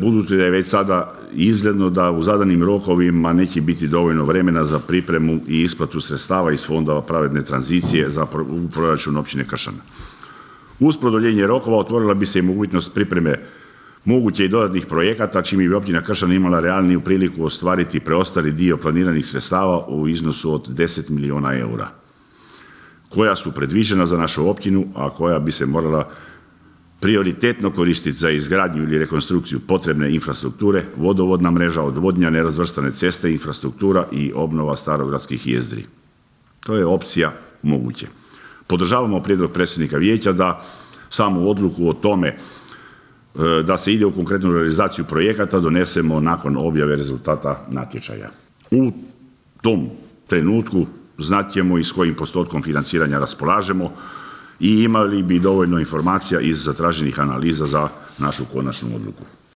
budući da je već sada izgledno da u zadanim rokovima neće biti dovoljno vremena za pripremu i isplatu sredstava iz fondova pravedne tranzicije u proračun općine Kršan. Uz produljenje rokova otvorila bi se i mogućnost pripreme moguće i dodatnih projekata, čime bi općina Kršan imala realniju priliku ostvariti preostali dio planiranih sredstava u iznosu od 10 milijuna eura, koja su predviđena za našu općinu, a koja bi se morala prioritetno koristiti za izgradnju ili rekonstrukciju potrebne infrastrukture, vodovodna mreža, odvodnja, nerazvrstane ceste, infrastruktura i obnova starogradskih jezdri. To je opcija moguće. Podržavamo prijedlog predsjednika vijeća da samu odluku o tome da se ide u konkretnu realizaciju projekata donesemo nakon objave rezultata natječaja. U tom trenutku znat ćemo i s kojim postotkom financiranja raspolažemo i imali bi dovoljno informacija iz zatraženih analiza za našu konačnu odluku.